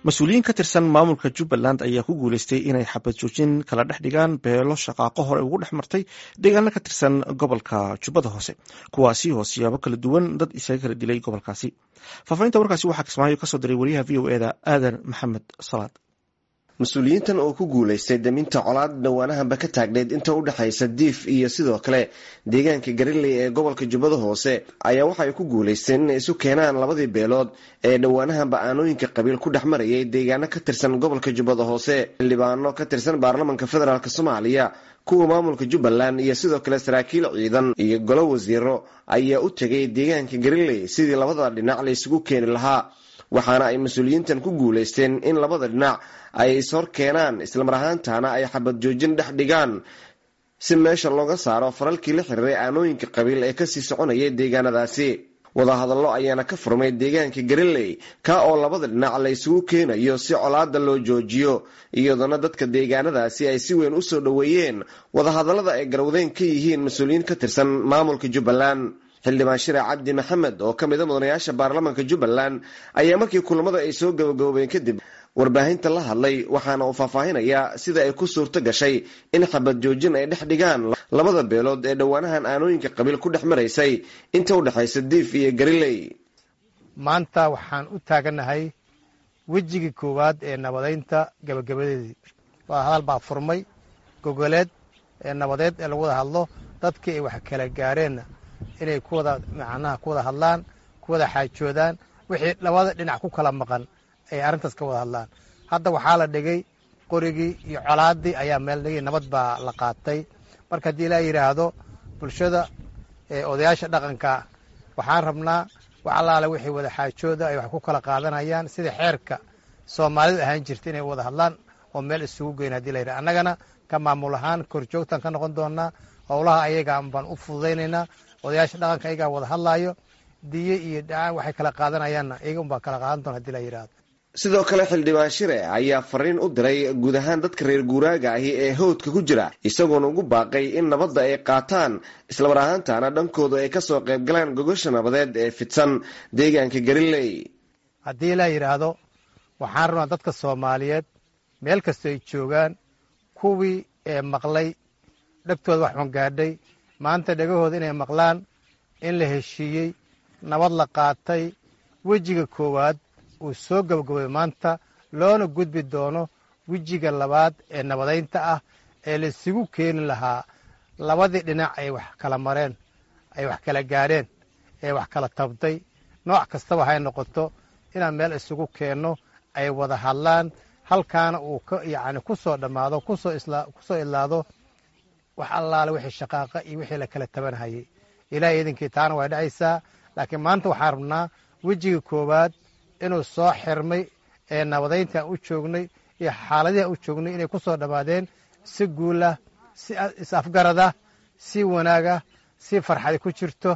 Mas-uuliyiin ka tirsan maamulka Jubbaland ayaa ku guuleystay inay xabad joojin kala dhex dhigaan beelo shaqaaqo hore ugu dhex martay deegaano ka tirsan gobolka Jubbada Hoose, kuwaasi oo siyaabo kala duwan dad isaga kala dilay gobolkaasi. Faafahinta warkaasi waxaa Kismaayo kasoo diray wariyaha VOA-da Aadan Maxamed Salaad. Mas-uuliyiintan oo ku guulaystay daminta colaad dhawaanahanba ka taagneyd inta u dhexaysa Diif iyo sidoo kale deegaanka Gariley ee gobolka Jubbada Hoose ayaa waxay ku guulaysteen inay isu keenaan labadii beelood ee dhowaanahanba aanooyinka qabiil ku dhex marayay deegaano ka tirsan gobolka Jubbada Hoose. Xildhibaano ka tirsan baarlamanka federaalk Soomaaliya, kuwa maamulka Jubbaland iyo sidoo kale saraakiil ciidan iyo golo wasiiro ayaa u tegay deegaanka Gariley sidii labada dhinac la isugu keeni lahaa, waxaana ay mas-uuliyiintan ku guulaysteen in labada dhinac ay ishor keenaan, islamar ahaantaana ay xabad joojin dhex dhigaan si meesha looga saaro faralkii la xiriiray aanooyinka qabiil ee kasii soconayay deegaanadaasi. Wadahadallo ayaana ka furmay deegaanka Gariley, ka oo labada dhinac la isugu keenayo si colaada loo joojiyo, iyadoona dadka deegaanadaasi ay si weyn usoo dhoweeyeen wadahadallada ay garwadeen ka yihiin mas-uuliyiin ka tirsan maamulka Jubbaland. Xildhibaan Shire Cabdi Maxamed oo ka mida mudanayaasha baarlamanka Jubbaland ayaa markii kulamada ay soo gabagaboobeen kadib warbaahinta la hadlay, waxaana uu faahfaahinayaa sida ay ku suurto gashay in xabad joojin ay dhex dhigaan labada beelood ee dhowaanahan aanooyinka qabiil ku dhex maraysay inta u dhexaysa Diif iyo Gariley. Maanta waxaan u taagannahay wejigii koowaad ee nabadeynta gabagabadeedii. Waa hadal baa furmay gogoleed ee nabadeed ee lagu wada hadlo dadkii ay wax kala gaareenna inay kuwada macnaha ku wada hadlaan, ku wada xaajoodaan wixii labada dhinac ku kala maqan, ay arrintaas ka wada hadlaan. Hadda waxaa la dhigay qorigii iyo colaaddii ayaa meel dhigay, nabad baa la qaatay. Marka haddii laa yidhaahdo bulshada, odayaasha dhaqanka, waxaan rabnaa wax allaale wixii wada xaajooda ay wax ku kala qaadanayaan sida xeerka Soomaalidu ahaan jirta inay wada hadlaan oo meel isugu geyn. Hadii la yidhahdo, annagana ka maamul ahaan korjoogtaan ka noqon doonaa howlaha, ayaga baan u fududaynaynaa. Odayaasha dhaqanka ayagaa wada hadlaayo, diye iyo dhacaan waxay kala qaadanayaanna iyaga unbaa kala qaadan doona hadii la yidhahdo. Sidoo kale xildhibaan Shire ayaa fariin u diray guud ahaan dadka reer guuraaga ahi ee howdka ku jira, isagoona ugu baaqay in nabadda ay qaataan, islamar ahaantaana dhankoodu ay kasoo qayb galaan gogosha nabadeed ee fidsan deegaanka Gariley. Haddii la yidhaahdo, waxaan rabnaa dadka Soomaaliyeed meel kastoo ay joogaan, kuwii ee maqlay dhegtooda wax xun gaadhay, maanta dhegahooda inay maqlaan in la heshiiyey, nabad la qaatay, wejiga koowaad uu soo gabagabay maanta, loona gudbi doono wejiga labaad ee nabadaynta ah ee laisugu keeni lahaa labadii dhinac ay wax kala mareen, ay wax kala gaadheen, ee wax kala tabtay, nooc kastaba hay noqoto, inaan meel isugu keenno, ay wada hadlaan, halkaana uu yacni ku soo dhammaado, kusoo idlaado wax allaale wixii shaqaaqa iyo wixii la kala tabanhayay. Ilahay idinkii taana way dhacaysaa, laakiin maanta waxaan rabnaa wejiga koowaad inuu soo xirmay ee nabadayntaan u joognay iyo xaaladihi u joognay inay ku soo dhammaadeen si guulah, si is-afgarada, si wanaaga, si farxadi ku jirto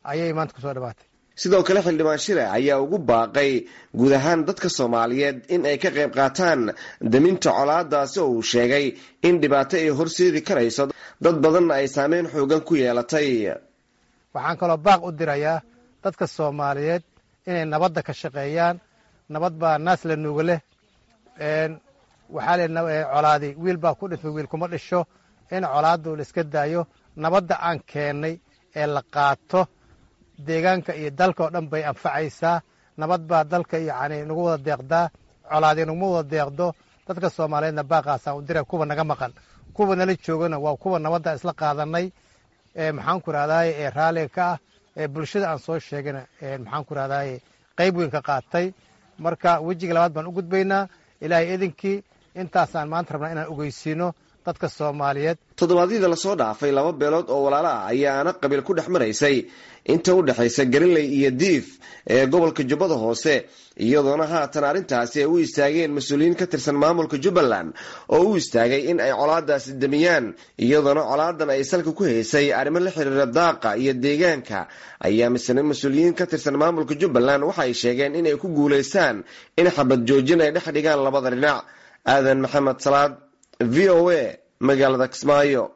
ayay maanta kusoo dhammaatay. Sidoo kale xildhibaan Shire ayaa ugu baaqay guud ahaan dadka Soomaaliyeed in ay ka qayb qaataan daminta colaadaasi oo uu sheegay in dhibaato ay horseedi karayso, dad badanna ay saameyn xoogan ku yeelatay. Waxaan kaloo baaq u dirayaa dadka Soomaaliyeed inay nabadda ka shaqeeyaan. Nabad baa naas la nuuga leh. Waxaa le colaadi wiil baa ku dhintay, wiil kuma dhisho. In colaaddu la iska daayo, nabadda aan keennay ee la qaato, deegaanka iyo dalka oo dhan bay anfacaysaa. Nabad baa dalka yacni nagu wada deeqdaa, colaadi naguma wada deeqdo. Dadka Soomaaliyeedna baaqaasaan u dira, kuwa naga maqan, kuwa nala joogana waa kuwa nabadda isla qaadanay ee maxaan ku rahdaye ee raalliga ka ah ee bulshada aan soo sheegana, maxaan ku rahdaye, qayb weyn ka qaatay. Marka wejiga labaad baan u gudbaynaa Ilaahay idinkii. Intaasaan maanta rabnaa inaan ogeysiino dadka Soomaaliyeed. Toddobaadyada lasoo dhaafay laba beelood oo walaalo ah ayaa aana qabiil ku dhex maraysay inta u dhexaysa Gariley iyo Diif ee gobolka Jubbada Hoose, iyadoona haatan arrintaasi ay u istaageen mas-uuliyiin ka tirsan maamulka Jubbaland oo u istaagay in ay colaadaasi damiyaan, iyadoona colaadan ay salka ku haysay arrimo la xiriira daaqa iyo deegaanka. Ayaa misne mas-uuliyiin ka tirsan maamulka Jubbaland waxay sheegeen inay ku guulaystaan in xabad joojin ay dhex dhigaan labada dhinac. Aadan Maxamed Salaad, VOA, magaalada Kismaayo.